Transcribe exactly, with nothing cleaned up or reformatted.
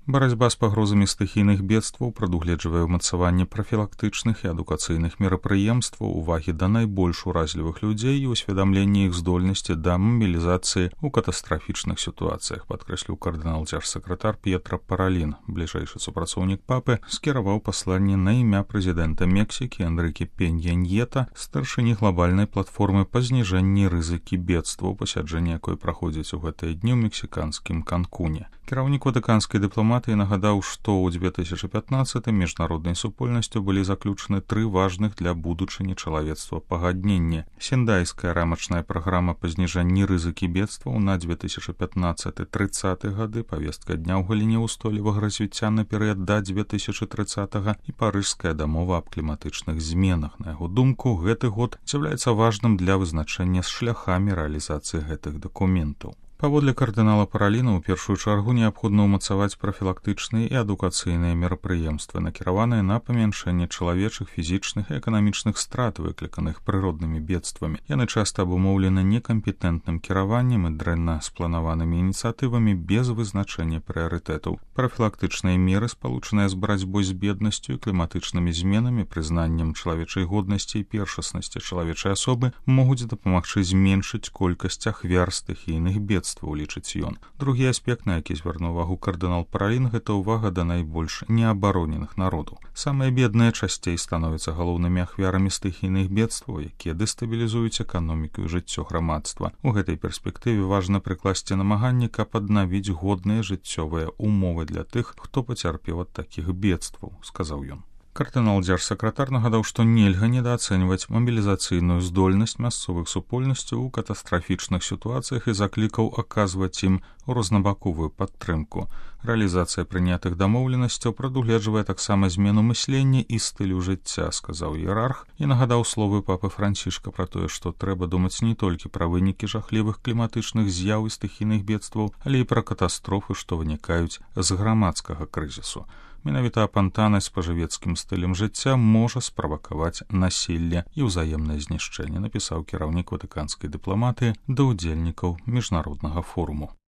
Барацьба з пагрозамі стыхійных бедстваў прадугледжвае ўмацаванне прафілактычных і адукацыйных мерапрыемстваў, увагі да найбольш уразлівых людзей і ўсведамленне іх здольнасці да мабілізацыі ў катастрафічных сітуацыях, падкрэсліў кардынал дзяржсакратар П'етра Паралін. Бліжэйшы супрацоўнік папы скіраваў пасланне на імя прэзідэнта Мексікі Энрыке Пенья Ньета, старшыні глобальнай платформы па зніжэнні рызыкі бедстваў, пасяджэнне якой праходзіць у гэтыя дні ў мексіканскім Канкуне. Кіраўнік ватыканскай дыпламатыі нагадаў, што ў дзве тысячы пятнаццатым міжнароднай супольнасцю былі заключаны тры важных для будучыні чалавецтва пагадненні. Сендайская рамачная праграма па зніжэнні рызыкі бедстваў на две тысячы пятнаццаты трыццаты гады, павестка дня ў галіне ўстойлівага развіцця на перыяд да две тысячы трыццатага і парыжская дамова аб кліматычных зменах. На яго думку, гэты год з'яўляецца важным для вызначэння з шляхамі рэалізацыі гэтых дакументаў. Паводле кардынала Параліна, у першую чаргу неабходна ўмацаваць прафілактычныя і адукацыйныя мерапрыемствы, накіраваныя на памяншэнне чалавечых, фізічных і эканамічных страт, выкліканых прыроднымі бедствамі. Яны часта абумоўлены некампетэнтным кіраваннем і дрэнна спланаванымі ініцыятывамі без вызначэння прыярытэтаў. Прафілактычныя меры, спалучаныя з барацьбой з беднасцю і кліматычнымі зменамі, прызнаннем чалавечай годнасці і першаснасці чалавечай асобы, могуць дапамагчы зменшыць колькасць ахвяр стыхійных бедстваў, улічыць ён. Другі аспект, на які звярнуў увагу кардынал Паралін, гэта ўвага да найбольш неабароненых народаў. Самыя бедныя часцей становяцца галоўнымі ахвярамі стыхійных бедстваў, якія дэстабілізуюць эканоміку і жыццё грамадства. У гэтай перспектыве важна прыкласці намаганні, каб аднавіць годныя жыццёвыя умовы для тых, хто пацярпеў ад такіх бедстваў, сказаў ён. Кардынал дзяржсакратар нагадаў, што нельга недаацэньваць мабілізацыйную здольнасць мясцовых супольнасцяў у катастрафічных сітуацыях і заклікаў аказваць ім рознабаковую падтрымку. Рэалізацыя прынятых дамоўленасцяў прадугледжвае таксама змену мыслення і стылю жыцця, сказаў іерарх, і нагадаў словы папы Францішка пра тое, што трэба думаць не толькі пра вынікі жахлівых кліматычных з'яў і стыхійных бедстваў, але і пра катастрофы, што вынікаюць з грамадскага крызісу. Менавіта апантанасць спажывецкім стылем жыцця можа справакаваць насілле і ўзаемнае знішчэнне, напісаў кіраўнік ватыканскай дыпламатыі да ўдзельнікаў міжнароднага форуму.